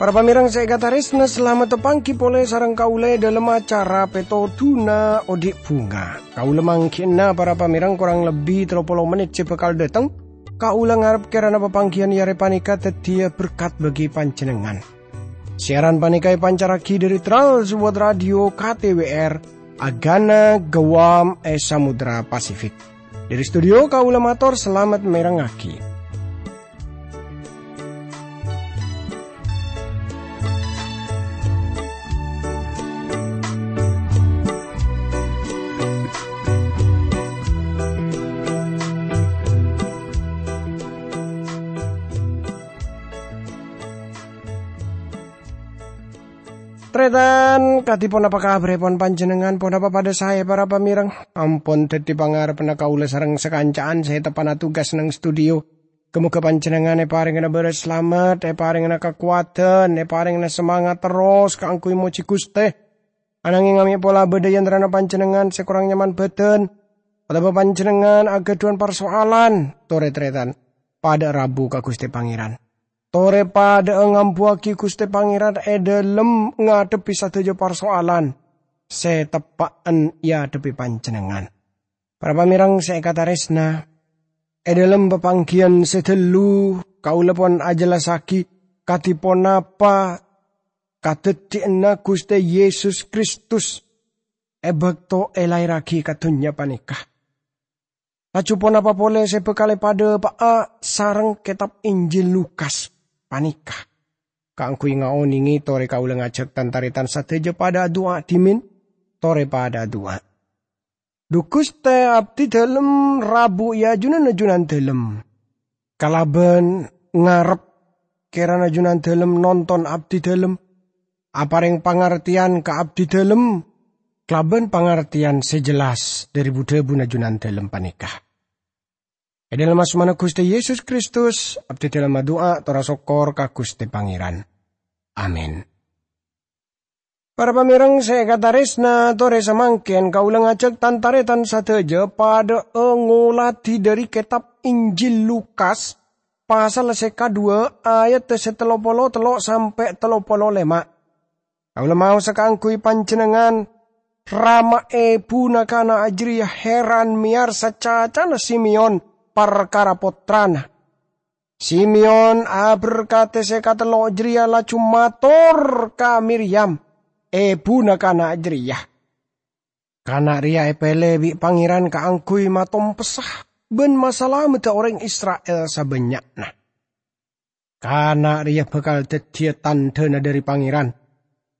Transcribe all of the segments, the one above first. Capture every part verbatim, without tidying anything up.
Para pamèrèng sè èkatarèsna, salamet tapangghi polè sareng kaulâ è dhâlem acara Pètodhuna Odi' Bhunga. Kaulâ mangghi'na para pamèrèng korang lebbi tello polo mennit sè bhâkal dhâteng. Kaulâ ngarep kèrana papangghiyân è arè panèka dhâddhiyâ berkat bagi panjhennengngan. Siaran panèka èpancarraghi dhâri Trans World Radio K T W R, Agana Guam è Samudra Pasifik. Dhâri studio kaulâ mator salamet mèrengngaghi. Tarètan, kadhi ponapa kabhârrâèpon panjhennengngan? Ponapa padhâ saè, para pamèrèng? Ampon dhâddhi pangarebbhâ kaulâ sareng sakanca'an sè teppa'na tugas neng studio. Ghâ-mogâ panjhennengngan èparèngana bârâs salamet, èparèngana kakowadhân, èparèngana samangat terros kaangghuy mojhi Ghustè. Ananghing amè' pola bâdâ è antarana panjhennengngan sè korang nyaman bhâdhân, otabâ panjhennengngan aghâdhuwân parsoalan, torè tarètan, padhâ rabu ka Ghustè Pangèran. Torè padhâ'â ngambuwâghi Ghustè Pangèran è dhâlem ngadhebbhi sadhâjâ parsoalan sè teppa'en èadhebbhi panjhennengngan. Para pamèrèng sè èkatarèsna, è dhâlem papangghiyân sè ghâllu kaulâ pon ajhellassaghi kadhi ponapa kadhâddhiyânna Ghustè Yesus Kristus è bâkto èlaèrraghi ka dhunnya panèka. Laju ponapa polè sè bhâkal èpadhâpa'a sareng kètab Injil Lukas panèka? Kaangghuy ngaonèngè torè kaulâ ngajhâk tan-tarètan sadhâjâ padhâ adu'a dhimèn, torè padhâ adu'a. Dhu Ghustè, abdhi dhâlem rabu è ajunanna Junandhâlem. Kalabân ngarep kèrana Junandhâlem nonton abdhi dhâlem, aparèng pangartèyan ka abdhi dhâlem kalabân pangartèyan sè jelas dhâri bu-dhâbuna Junandhâlem panèka. È dhâlem asmana Ghustè Yesus Kristus, abdhi dhâlem adu'a tor asokkor ka Ghustè Pangèran. Amin. Para pamèrèng sè èkatarèsna, torè samangkèn kaulâ ngajhâk tan-tarètan sadhâjâ padhâ'â ngoladhi dhâri kètab Injil Lukas, pasal sè kaduwâ, ayat sè tello polo tello' sampè' tello polo lèma'. Kaulâ maosa kaangghuy panjhennengngan, rama èbhuna kana' jârèya heran mèyarsa cacana Simeon parkara pottrana. Simeon, aberkadhi sè katello' jârèya, laju mator ka Miryam, èbhuna kana' jârèya. Kana' rèya èpèlè bi' Pangèran kaangghuy matompessa bân masalamedda orèng Isra'il sabânnya'na. Kana' rèya bhâkal dhâddhiyâ tandhâna dhâri Pangèran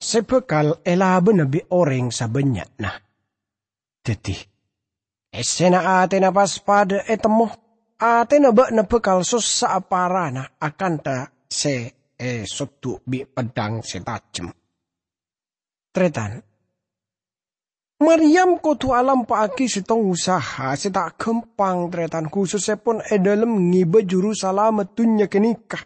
sè bhâkal èlabâna bi' orèng sabânnya'na. Dhâddhi, èssèna atèna pas padhâ ètemmo, atèna bâ'na bhâkal sossa'a parana akantha sè èsoddu' bi' peddhâng sè tajem. Tarètan, Maryam kodhu alampa'aghi sèttong usaha sè ta' ghâmpang, tarètan, khusussèpon è dhâlem ngèbâ Jurusalamet dhunnya ghânèka.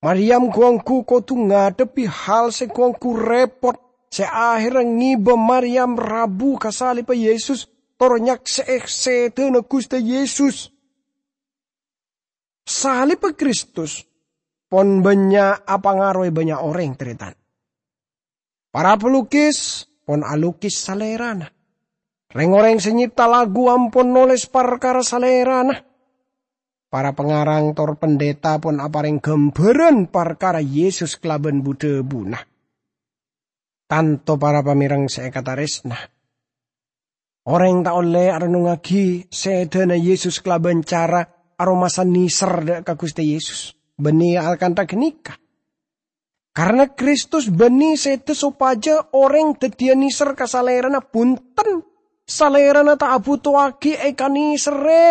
Maryam ghu-ongghu kodhu ngadhebbhi hal sè ghu-ongghu rèpot, sè ahèrra ngèbâ Maryam rabu ka salibbhâ Yesus tor nyaksè'è sèdhâna Ghustè Yesus. Salibbhâ Kristus pon bânnya' apangaroè bânnya' orèng, tarètan. Para palukis pon alukis salèrana. Rèng-orèng sè nyèpta lagu ampon nolès parkara salèrana. Para pangarang tor pendeta pon aparèng ghâmbhârân parkara Yesus kalabân bu-dhâbuna. Tanto para pamèrèng sè èkatarèsna. Orèng ta' ollè arennungngaghi sèdhâna Yesus kalabân cara aromasa nèser dâ' ka Ghustè Yesus, bânnè akantha ghânèka. Karna Kristus bânnè sèdhâ sopajâ orèng dhâddhiyâ nèser ka Salèrana, bhunten. Salèrana ta' abhutowaghi èkanèserrè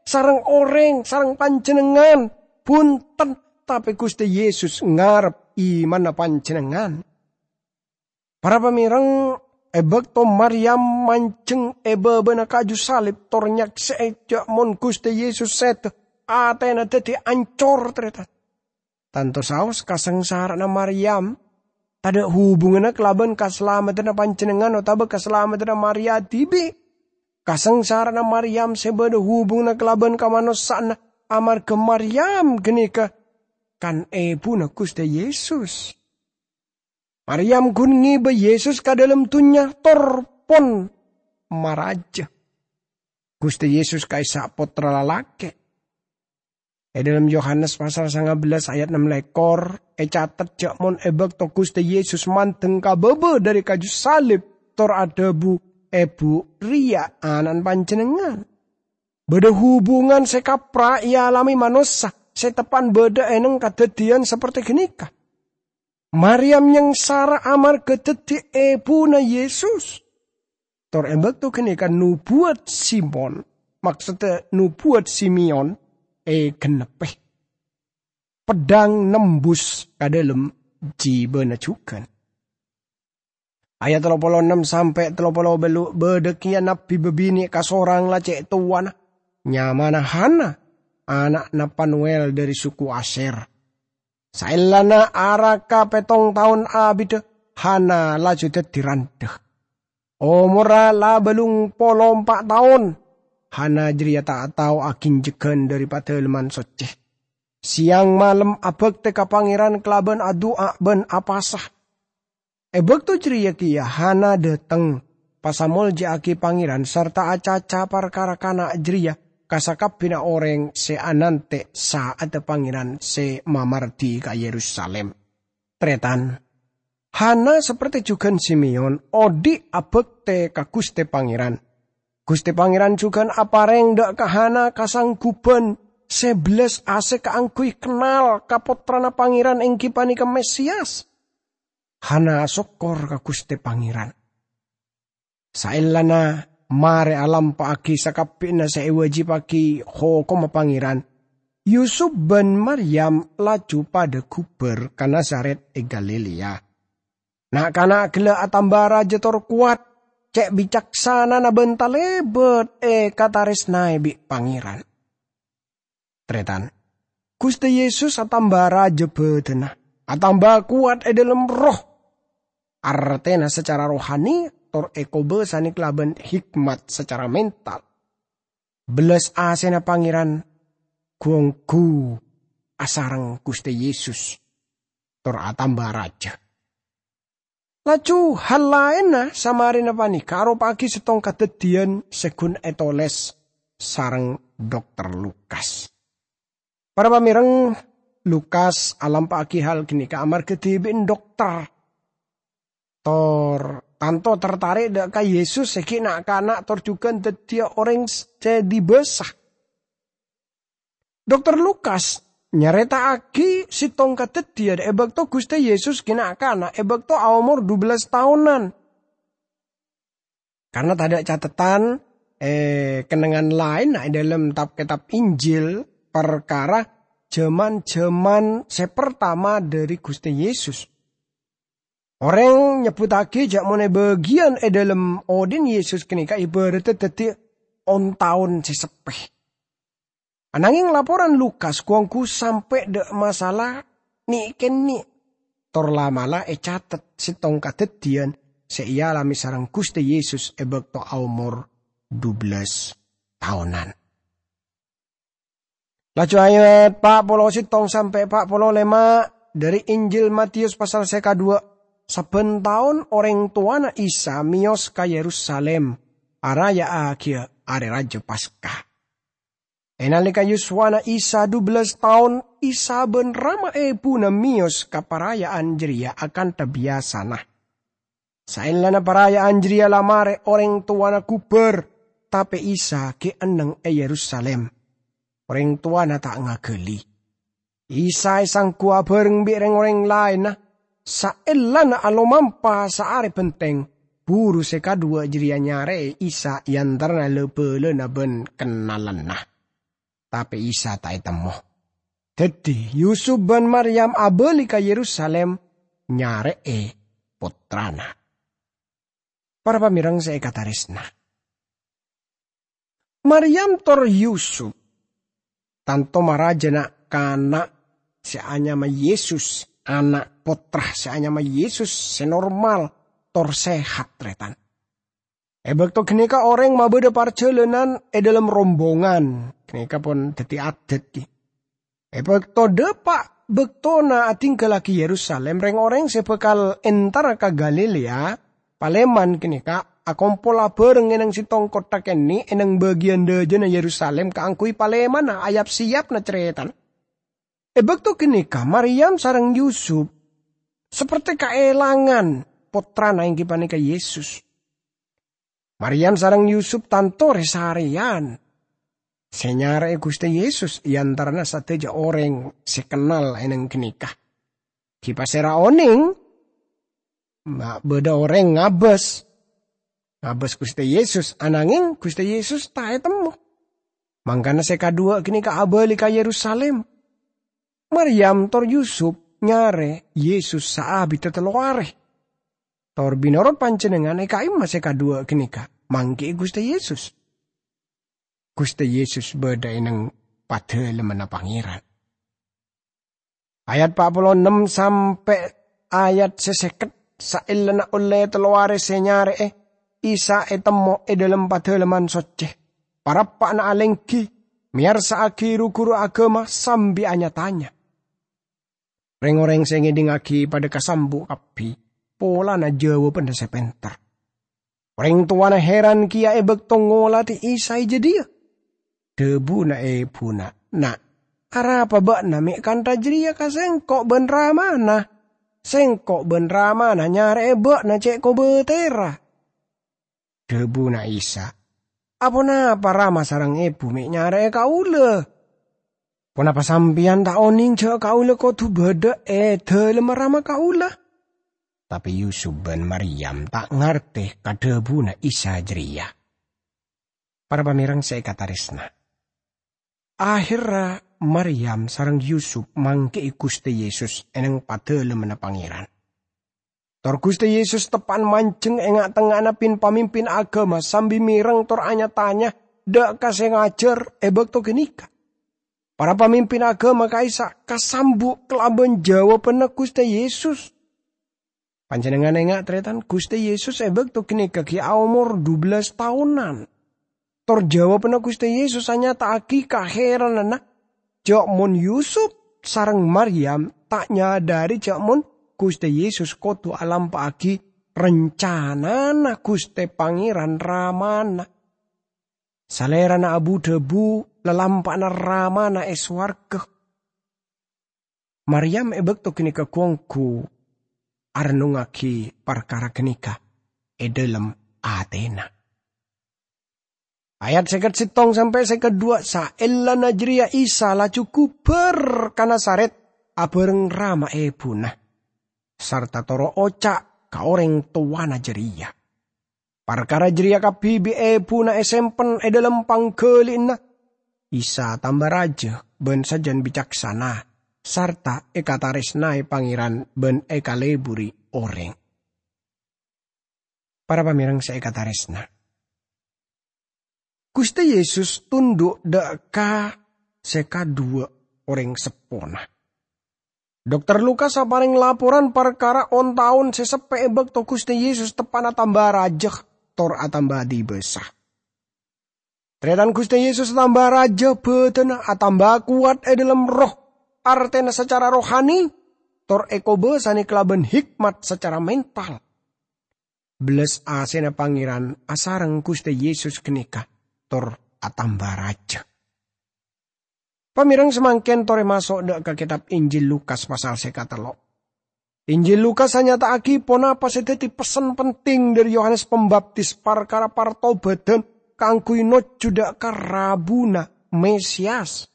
sareng orèng, sareng panjhennengngan, bhunten, tapè Ghustè Yesus ngarep imanna panjhennengngan. Para pamèrèng, è bâkto Maryam manjheng è bâbâna kaju salib tor nyaksè'è jâ' mon Ghustè Yesus sèdhâ, atèna dhâddhi ancor, tarètan. Tanto saos kasangsara'anna Maryam, Tadha' hubunganna kalaban kasalameddhânna panjhennengngan otaba kasalameddhânna Maria dhibi'. Kasangsara'anna Maryam sè bâdâ hubunganna kalaban kamanossa'anna amarghâ Maryam ghânèka kan èbhuna Ghustè Yesus. Maryam ghun ngèbâ Yesus ka dâlem dhunnya tor pon maraja. Ghustè Yesus ka'issa' pottra lalakè'. È dâlem Yohanes pasal sanga bellâs ayat nem lèkor, ècatet jhâ' mon è bâkto Ghustè Yesus mandeng ka bâbâ dâri kaju salib, tor adhâbu, "Èbhu rèya ana'na panjhennengngan." Bâdâ hubungan sè kapra èalamè manossa sè teppa'na bâdâ è neng kadhâddhiyân saportè ghânèka. Maryam nyangsara amarghâ dhâddhi èbhuna Yesus. Tor è bâkto ghânèka nobuwât Simon, maksodda nobuwât Simeon, ègennebbhi. Peddhâng nembus ka dâlem jibâna jhughân. Ayat tello polo ennem sampè' tello polo bâllu', bâdâ kèya nabbhi bâbinè' kasorang la cè' towana, nyamana Hana, ana'na Panuel dâri suku Asyer. Saellana araka pèttong taon abidhâ, Hana laju dhâddhi randhâ. Omorra la bâllung polo empa' taon, Hana jârèya ta' tao aginjhâghân dâri Padalemman Soccè. Sèyang malem abhâktè ka Pangèran kalabân adu'a bân apasa. È bâkto jârèya kèya Hana dâteng, pasamoljâ'aghi Pangèran sarta acaca parkara kana' jârèya ka sakabbhiyânna orèng sè anantè' sa'adda Pangèran sè mamardhi ka Yerusalim. Tarètan, Hana saportè jhughân Simeon odhi' abhâktè ka Ghustè Pangèran. Ghustè Pangèran jhughân aparèng dâ' ka Hana kasangguban sè bellas asè kaangghuy kennal ka Pottrana Pangèran, èngghi panèka Mesias. Hana asokkor ka Ghustè Pangèran. Saellana marè alampa'aghi sakabbhiyânna sè èwâjibhâghi hokomma Pangèran, Yusup bân Maryam laju padhâ ghubâr ka Nazaret è Galilea. Na'-kana' ghellâ' atamba rajâ tor kowat, cè' bicaksanana bân talèbât èkatarèsnaè bi' Pangèran. Tarètan, Ghustè Yesus atamba rajâ bâdâna, atamba kowat è dâlem erroh. Artèna sacara rohani tor èkobâsanè kalabân hikmat sacara mental. Bellas asèna Pangèran gu-ongghu asareng Ghustè Yesus tor atamba rajâ. Laju hal laènna samarèna panèka aropa'aghi sèttong kadhâddhiyân sè ghun ètolès sareng Dokter Lukas. Para pamèreng, Lukas alampa'aghi hal ghânèka amarghâ dhibi'na dokter. Tor tanto tertarè' dâ' ka Yesus sè ghi' na'-kana' tor jhughân dhâddhiyâ orèng sè dibâsa. Dokter Lukas nyarèta'aghi sèttong kadhâddhiyân è bâkto Ghustè Yesus ghi' na'-kana' è bâkto aomor dubellas taonan. Karna tadâ' catetan, eh, kennengngan laènna è dâlem tab-kètab Injil parkara jhâman-jhâman sè partama dâri Ghustè Yesus. Orèng nyebbhuttaghi jhâ' mon è bâgiyân è dâlem odhi'na Yesus ghânèka èbhârâddhâ dhâddhi on-taon sè seppè. Anangèng laporan Lukas gu-ongghu sampè' dâ' masalah nè'-kènè', tor la'-mala' ècatet sèttong kadhâddhiyân sè èalamè sareng Ghustè Yesus è bâkto aomor dubellas taonan. Laju ayat pa' polo sèttong sampè' pa' polo lèma' dâri Injil Matius pasal sè kaduwâ', sabbhân taon orèng towana Isa mèyos ka Yerusalim araya'aghiyâ Arè Rajâ Paska. È nalèka yuswana Isa dubellas taon, Isa bân rama èbhuna mèyos ka paraya'an jârèya akantha biyasana. Saellana paraya'an jârèya la marè orèng towana ghubâr, tapè Isa ghi' enneng è Yerusalim. Orèng towana ta' ngaghâli. Isa èsangghu abhâreng bi' rèng-orèng laènna. Saellana alomampa saarè bhenteng, buru sè kaduwâ' jârèya nyarè'è Isa è antarana la-bâlâna bân kennalanna. Tapè Isa ta' ètemmo. Dhâddhi, Yusup bân Maryam abâli ka Yerusalim nyarè'è pottrana. Para pamèreng sè èkatarèsna. Maryam tor Yusup tanto marajâ na'-kana' sè anyama Yesus ana' pottra sè anyama Yesus sè normal tor sehat, tarètan. È bâkto ghânèka orèng mabâdâ parjhâlânan è dhâlem rombongan, ghânèka pon dhâddhi adat, ghi. È bâkto dhâpa' bâktona adhingghâllaghi Yerusalim, rèng-orèng sè bhâkal èntara ka Galilea, palèman ghânèka akompol abhâreng è neng sèttong kottha kènè' è neng bâgiyân dâjâna Yerusalim kaangghuy palèmana ayap-sèyapna carètana. È bâkto ghânèka, Maryam sareng Yusup sapertè kaèlangan pottrana, èngghi panèka Yesus. Maryam sareng Yusup tanto rè-sarèyan sè nyarè'è Ghustè Yesus è antarana sadhâjâ orèng sè kennal è neng ghânèka. Ghi' pasèra onèng ma' bâdâ orèng ngabâs, ngabâs Ghustè Yesus, ananghèng Ghustè Yesus ta' ètemmo. Mangkana sè kaduwâ' ghânèka abâli ka Yerusalim. Maryam tor Yusup nyarè Yesus saabiddhâ tello arè. Tor bi' norot panjhennengngan è ka'imma sè kaduwâ' ghânèka mangghi'i Ghustè Yesus. Ghustè Yesus bâdâ è neng Padâlemmanna Pangèran. Ayat pa' polo ennem sampè' ayat sè sèket, saellana ollè tello arè sè nyarè'è, Isa ètemmo è dhâlem Padâlemman Soccè, parappa'na alèngghi, mèyarsa'aghi ru-ghuru aghâma sambi anya-tanya. Rèng-orèng sè ngèdingngaghi padâ kasambu' kabbhi polana jâwâbânna sè pènter. Orèng towana hèran kèya è bâkto ngolatè Isa è jâdiyâ. Dhâbuna èbhuna, "Na', arapa bâ'na mè' kantha jârèya ka sèngko' bân ramana? Sèngko' bân ramana nyarè'è bâ'na cè' kobâtèrra." Dhâbuna Isa, "Aponapa rama sareng èbhu mè' nyarè'è kaulâ? Ponapa sampèyan ta' onèng jâ' kaulâ kodhu bâdâ è dhâlemma rama kaulâ?" Tapè Yusup bân Maryam ta' ngartè ka dhâbuna Isa jârèya. Para pamèreng sè èkatarèsna, aherra Maryam sareng Yusup mangghi'i Ghustè Yesus è neng Padâlemmanna Pangèran. Tor Ghustè Yesus teppa'na manjheng è nga'-tengnga'anna pin-pamimpin aghâma sambi mèreng tor anya-tanya dâ' ka sè ngajhâr è bâkto ghânèka. Para pamimpin aghâma ka'issa' kasambu' kalabân jâwâbânna Ghustè Yesus. Panjhennengngan enga', tarètan, Ghustè Yesus è bâkto ghânèka ghi' aomor dubellâs taonan. Tor jâwâbânna Ghustè Yesus anyata'aghi kahèrananna jâ' mon Yusup sareng Maryam ta' nyadhâri jâ' mon Ghustè Yesus kodhu alampa'aghi rancanana Ghustè Pangèran Ramana. Salèrana abu-dhâbu lalampa'na Ramana è sowarghâ. Maryam è bâkto ghânèka ghu-ongghu arennungngaghi parkara ghânèka è dhâlem atèna. Ayat sèket sèttong sampè' sèket duwâ', saellana jârèya Isa laju ghubâr ka Nazaret abhâreng rama èbhuna, sarta toro' oca' ka orèng towana jârèya. Parkara jârèya kabbhi bi' èbhuna èsempen è dhâlem pangghâli'anna. Isa tamba rajâ bân sajân bicaksana, sarta èkatarèsnaè Pangèran bân èkaleburi orèng. Para pamèreng sè èkatarèsna, Ghustè Yesus tondhu' dâ' ka sè kaduwâ' orèng seppona. Dokter Lukas aparèng laporan parkara on-taon sè seppè è bâkto Ghustè Yesus teppa'na tamba rajâ tor atamba dibâsa. Tarètan, Ghustè Yesus atamba rajâ bhâdhânna, atamba kowat è dhâlem erroh, artèna sacara rohani, tor èkobâsanè kalabân hikmat sacara mental. Bellas asèna Pangèran asareng Ghustè Yesus ghânèka, tor atamba rajâ. Pamèreng samangkèn torè maso' dâ' ka kètab Injil Lukas pasal sè katello'. Injil Lukas anyata'aghi ponapa sè dhâddhi pessen penting dhâri Yohanes Pambaptis parkara partobâdhân kaangghuy nojjhu dâ' ka rabuna Mesias.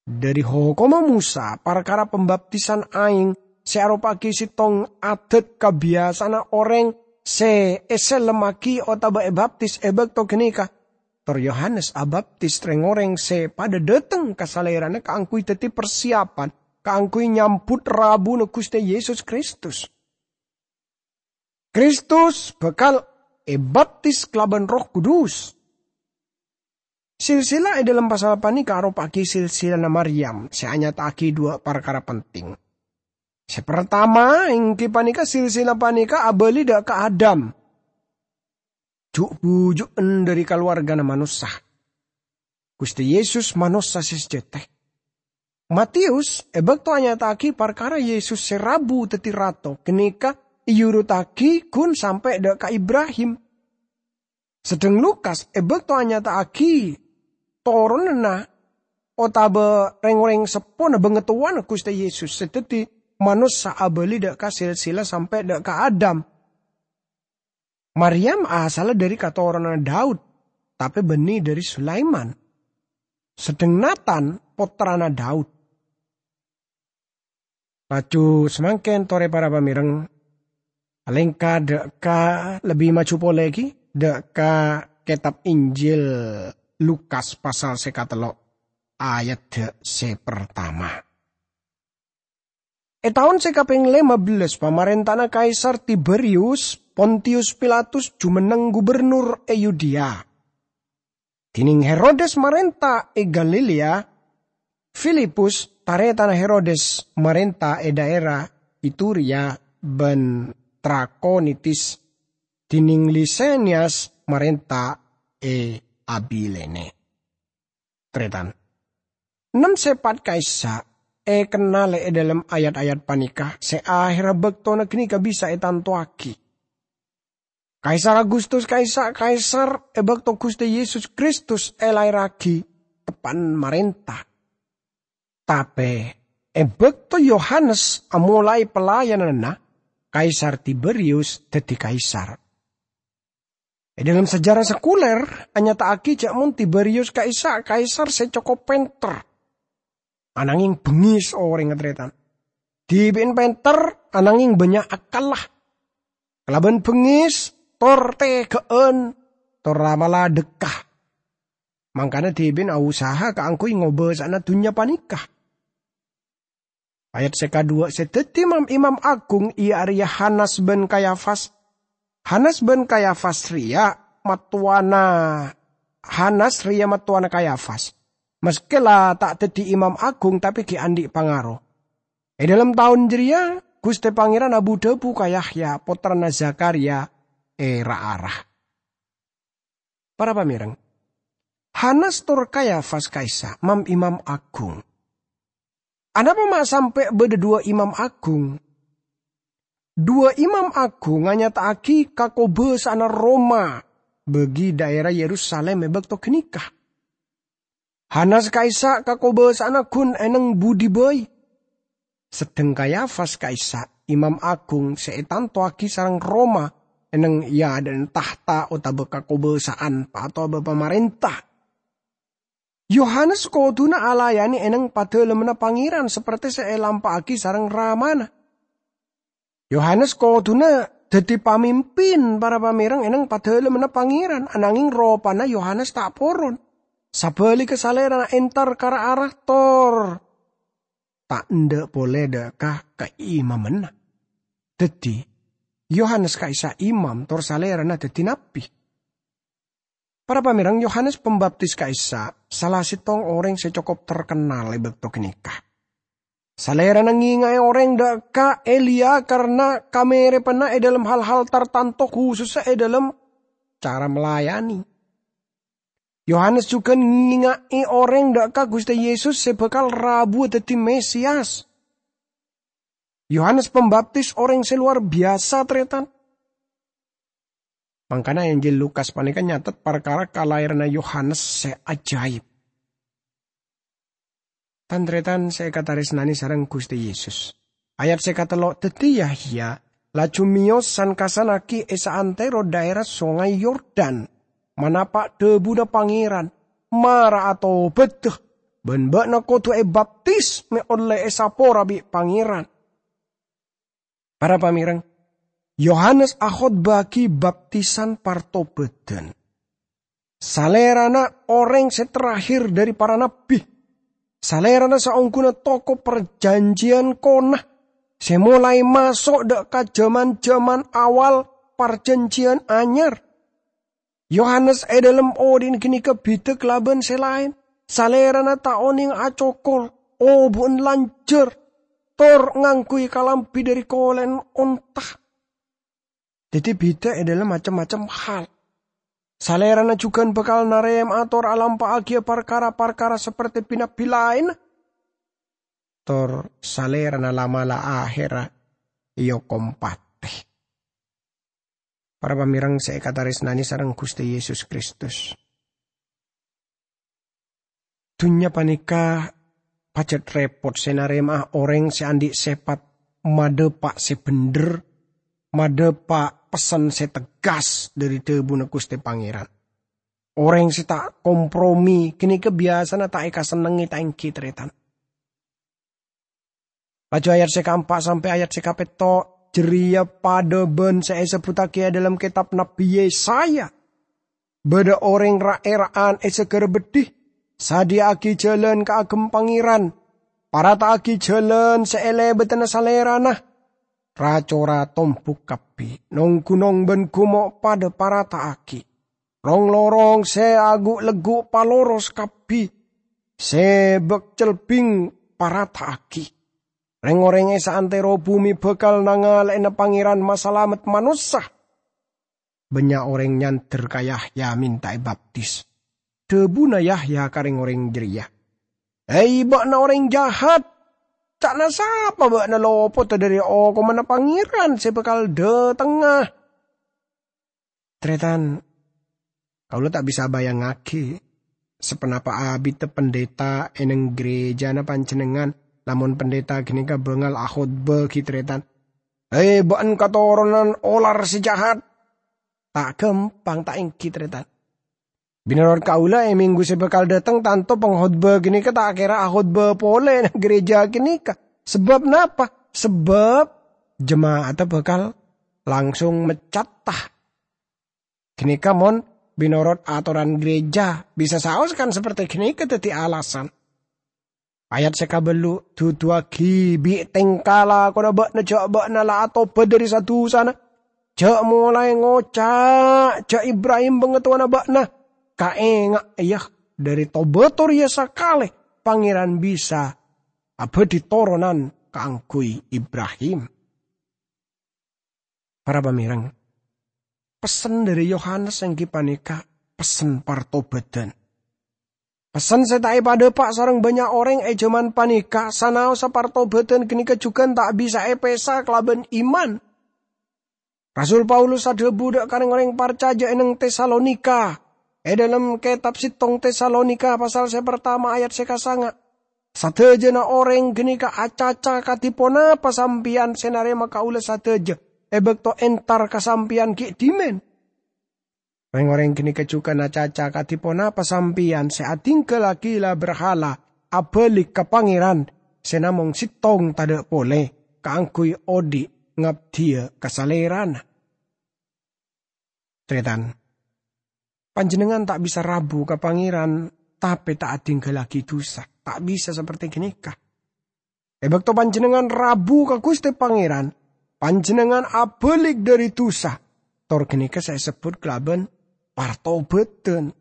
Dhâri Hokomma Mosa, parkara pambaptisan aèng sè aropa'aghi sèttong adat kabiyasa'anna orèng sè èsellemmaghi otabâ èbaptis è bâkto ghânèka, tor Yohanes abaptis rèng-orèng sè padâ dâteng ka Salèrana kaangghuy dhâddhi parsiyapan kaangghuy nyambut rabuna Ghustè Yesus Kristus. Kristus bhâkal èbaptis kalabân Erroh Kudus. Silsila è dhâlem pasal panèka aropa'aghi silsilana Maryam sè anyata'aghi duwâ' parkara penting. Sè partama èngghi panèka silsila panèka abâli dhâ' ka Adam, ju'-buju'en dhâri kalowarghâna manossa. Ghustè Yesus manossa sè sajâtè. Mateyus è bâkto anyata'aghi parkara Yesus sè rabu dhâddhi Rato ghânèka èuruttaghi ghun sampè' dhâ' ka Ibrahim. Sedheng Lukas è bâkto anyata'aghi toronanna otabâ rèng-orèng seppona bângatowana Ghustè Yesus sè dhâddhi manossa abâli dhâ' ka silsila sampè' dhâ' ka Adam. Maryam asalla dhâri katoronanna Daud, tapè bânnè dhâri Sulaiman. Sedheng Natan pottrana Daud. Laju samangkèn torè para pamèreng, alèngka dhâ' ka lebbi maju polè ghi, dhâ' ka kètab Injil Lukas pasal sè katello', ayadda sè partama. È taon sè kapèng lèma bellâs pamarènta'anna Kaisar Tiberius, Pontius Pilatus jumenneng gubernur è Yudea. Dhinèng Herodes marènta è Galilea, Filipus, tarètanna Herodes, marènta è dhaèra Iturea bân Trakonitis, dhinèng Lisanias marènta è Abilene. Tarètan, nem sèpat ka'issa' èkennalè è dhâlem ayat-ayat panèka sè ahèrra bâktona ghânèka bisa ètantowaghi. Kaisar Agustus ka'issa' Kaisar è bâkto Ghustè Yesus Kristus èlaèrraghi teppa'na marènta. Tapè è bâkto Yohanes amolaè pelayananna, Kaisar Tiberius dhâddhi kaisar. È dhâlem sejarah sekuler, anyata'aghi jhâ' mon Tiberius ka'issa' kaisar sè cokop pènter. Anangèng bengngis orèngnga, tarètan. Dhibi'na pènter, anangèng bânnya' akkalla. Kalabân bengngis, tor tèghâ'ân, tor la'-mala' dhâkka. Mangkana dhibi'na ausaha kaangghuy ngobâsa'ana dhunnya panèka. Ayat sè kaduwâ', sè dhâddhi mam-, imam agung iyâ arèya Hanas bân Kayafas. Hanas bân Kayafas rèya mattowana, Hanas rèya mattowana Kayafas. Maskè la ta' dhâddhi imam agung, tapè ghi' andi' pangaro. È dhâlem taon jârèya, Ghustè Pangèran abu-dhâbu ka Yahya, pottrana Zakharya, è ra-ara. Para pamèreng, Hanas tor Kayafas ka'issa' mam-imam agung. Anapa ma' sampè' bâdâ duwâ' imam agung? Duwâ' imam agung anyata'aghi kakobâsa'anna Roma bagi dhaèra Yerusalim è bâkto ghânèka. Hanas ka'issa' kakobâsa'anna ghun èneng budi bhâi. Sedheng Kayafas ka'issa' imam agung sè ètantowaghi sareng Roma èneng è adâ'na tahta otabâ kakobâsa'an pa-, otabâ pamarènta. Yohanes kodhuna alayanè èneng Padâlemmanna Pangèran sapertè sè èlampa'aghi sareng Ramana. Yohanes kodhuna dhâddhi pamimpin para pamèreng èneng Padâlemmanna Pangèran, anangèng ropana Yohanes ta' poron. Sabhâligghâ, salèrana entar ka ra-ara tor ta' endâ' polè dhâ' ka kaimammanna. Dhâddhi, Yohanes ka'issa' imam tor salèrana dhâddhi nabbhi. Para pamèreng, Yohanes Pambaptis ka'issa' sala sèttong orèng sè cokop terkennal è bâkto ghânèka. Salèrana ngènga'è orèng dhâ' ka Eliya karna kamèrèbhânna è dhâlem hal-hal tartanto, khusussa è dhâlem cara malayanè. Yohanes jhughân ngènga'è orèng dhâ' ka Ghustè Yesus sè bhâkal rabuwâ dhâddhi Mesias. Yohanes Pambaptis orèng sè lowar biyasa, tarètan. Mangkana Injil Lukas panèka nyatet parkara kalaèranna Yohanes sè ajaib. Tan-tarètan sè èkatarèsnanè sareng Ghustè Yesus. Ayat sè katello', dhâddhi Yahya laju mèyos san-kassannaghi è saantèro dhaèra Songay Yordan, manapa' dhâbuna Pangèran, "Mara atobâdhâ, bân bâ'na kodhu èbaptis mè' ollè èsapora bi' Pangèran." Para pamèreng, Yohanes akhotbâ'aghi baptisan partobâdhân. Salèrana orèng sè terakhir dhâri para nabbhi. Salèrana saongghuna toko parjhânjhiyân kona sè molaè maso' dhâ' ka jhâman-jhâman awal parjhânjhiyân anyar. Yohanes è dhâlem odhi'na ghânèka bhidhâ kalabân sè laèn. Salèrana ta' onèng acokol, obu'en lanjhâr. tor ngangghuy kalambhi dhâri kolè'na onta. Dhâddhi bhidhâ è dhâlem macem-macem hal. Salèrana jhughân bhâkal narèma'a tor alampa'aghiyâ parkara-parkara saperte bi-nabbi laènna. Tor Salèrana la'-mala' ahèrra èokom patè. Para pamèreng sè èkatarèsnanè sareng Ghustè Yesus Kristus. Dhunnya panèka pajhât rèpot sè narèma'a orèng sè andi' sèpat madhâpa' sè bhendher, madhâpa' pessen sè tegghâs dhâri dhâbuna Ghustè Pangèran. Orèng sè ta' kompromi ghânèka biyasana ta' èkasennengngè, ta' ènggi, tarètan? Laju ayat sè kaempa' sampè' ayat sè kapètto' jârèya padâ bân sè èsebbhuttaghi è dhâlem kètab Nabbi Yesaya. Bâdâ orèng ra'-èra'an è saghârâ beddhi, "Sadhiyâ'âghi jhâlân kaagem Pangèran, parata'aghi jhâlân sè èlèbâdhâna Salèrana. Ra-cora tombhuk kabbhi, nong-ghunong bân ghummo' padâ parata'aghi. Rong-lorong sè aghu'-legghu' paloros kabbhi, sè bâk-celbing parata'aghi. Rèng-orèng è saantèro bhumè bhâkal nangalè'ana Pangèran masalamet manossa." Bânnya' orèng nyandher ka Yahya mènta èbaptis. Dhâbuna Yahya ka rèng-orèng jârèya, "Hei, bâ'na orèng jahat! Ca'na sapa bâ'na lopodhâ dhâri okomanna Pangèran sè bhâkal dhâtengnga?" Tarètan, kaulâ ta' bisa abayangngaghi saponapa abiddhâ pendeta è neng ghârèjâna panjhennengngan, lamon pendeta ghânèka bângal akhotbâ ghi' tarètan, "Hei, bâ'na katoronan olar sè jahat!" Ta' ghâmpang, ta' ènggi, tarètan? Mènorot kaulâ, è mènggu sè bhâkal dhâteng, tanto pangkhotbah ghânèka ta' kèra akhotbah polè neng ghârèjâ ghânèka. Sabâb napa? Sabâb jema'atta bhâkal langsung meccata. Ghânèka mon mènorot atoran ghârèjâ, bisa saos kan saperte ghânèka dhâddhi alasan. Ayat sè kabâllu', "Duduwaghi bi' tèngka lakona bâ'na jâ' bâ'na la atobât dhâri sa-dusana. Jâ' molaè ngoca' jâ' Ibrahim bângatowana bâ'na. Kaènga', iyâ, dhâri to-bâto rèya sakalè Pangèran bisa abâdhi toronan kaangghuy Ibrahim." Para pamèreng, pessen dhâri Yohanes èngghi panèka pessen partobâdhân. Pessen sè ta' èpadhâpa' sareng bânnya' orèng è jhâman panèka, sanaossa partobâdhân ghânèka jhughân ta' bisa èpèsa kalabân iman. Rasul Paulus adhâbu dhâ' ka rèng-orèng parcajâ è neng Tesalonika, è dhâlem kètab settong Tesalonika pasal sè partama ayat sè kasanga', "Sadhâjâna orèng ghânèka acaca kadhi ponapa sampèyan sè narèma kaulâ sadhâjâ è bâkto entar ka sampèyan ghi' dhimèn. Rèng-orèng ghânèka jhughân acaca kadhi ponapa sampèyan sè adhingghâllaghi la-berhala abâli' ka Pangèran sè namong settong tadhâ' polè kaangghuy odi' ngabdhiyâ ka Salèrana." Tarètan, panjhennengngan ta' bisa rabu ka Pangèran, tapè ta' adhingghâllaghi dusa. Ta' bisa saperte ghânèka. È bâkto panjhennengngan rabu ka Ghustè Pangèran, panjhennengngan abâli' dhâri dusa. Tor ghânèka sè èsebbhut kalabân partobâdhân.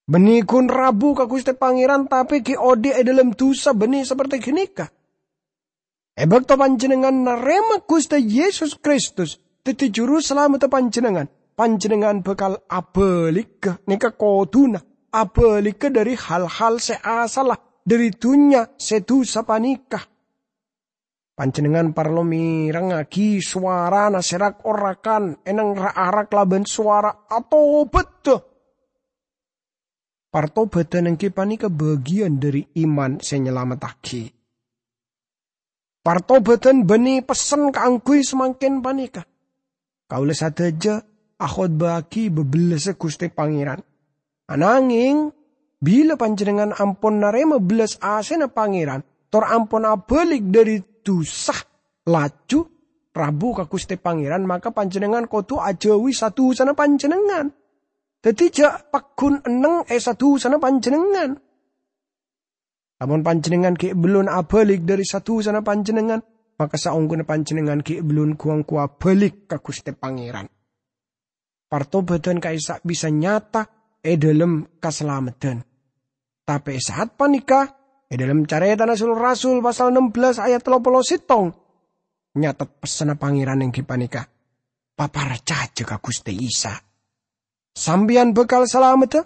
Bânnè ghun rabu ka Ghustè Pangèran, tapè ghi' odi' è dhâlem dusa bânnè saperte ghânèka. È bâkto panjhennengngan narèma Ghustè Yesus Kristus dhâddhi Juru Salameddhâ panjhennengngan, panjhennengngan bhâkal abâligghâ, nèka kodhuna abâligghâ dhâri hal-hal sè asalla dhâri dhunnya sè dusa panèka. Panjhennengngan parlo mèrengngaghi sowarana sè rak-orakan è neng ra-ara kalabân sowara atobâddhâ. Partobâdhân èngghi panèka bâgiyân dhâri iman sè nyalamettaghi. Partobâdhân bânnè pessen kaangghuy samangkèn panèka. Kaulâ sadhâjâ akhotbahaghi bâbellâssa Ghustè Pangèran. Anangèng, bilâ panjhennengngan ampon narèma bellas asèna Pangèran, tor ampon abâli' dhâri dusa, laju rabu ka Ghustè Pangèran, maka panjhennengngan kodhu ajâuwi sa-dusana panjhennengngan. Dhâddhi, jhâ' pagghun enneng è sa-dusana panjhennengngan. Lamon panjhennengngan ghi' bellun abâli' dhâri sa-dusana panjhennengngan, maka saongghuna panjhennengngan ghi' bellun ghu-angghuy abâli' ka Ghustè Pangèran. Partobâdhân ka'issa' bisa nyata è dhâlem kasalameddhân. Tapè è sa'at panèka, È dhâlem Carètana Sul-Rasul pasal ennem belas ayat tello polo sèttong, nyatet pessenna Pangèran èngghi panèka, "Paparcajâ ka Ghustè Isa. Sampèyan bhâkal salamedda,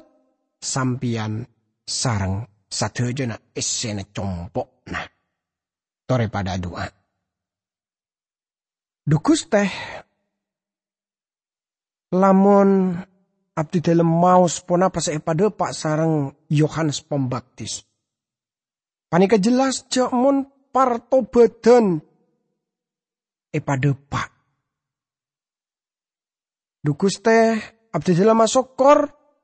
sampèyan sareng sadhâjâna èssèna compo'na." Torè padâ adu'a. Dhu Ghustè, lamon abdidhâlem maos ponapa sè èpadhâpa' sareng Yohanes Pambaptis, panèka jelas jâ' mon partobâdhân èpadhâpa'. Dhu Ghustè, abdidhâlem asokkor,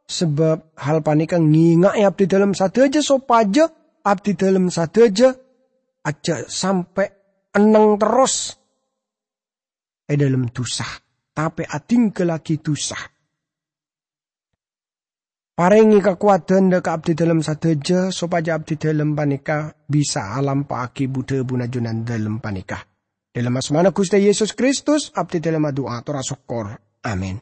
sabâb hal panèka ngènga'è abdidhâlem sadhâjâ sopajâ abdidhâlem sadhâjâ ajjhâ' sampè' enneng terros è dhâlem dhusa, tapè adhingghâllaghi dhusa. Parèngè kakowadhân dâ' ka abdidhâlem sadhâjâ sopajâ abdidhâlem panèka bisa alampa'aghi bu-dhâbuna Junandhâlem panèka. Dhâlem asmana Ghustè Yesus Kristus, abdidhâlem adu'a tor asokkor. Amin.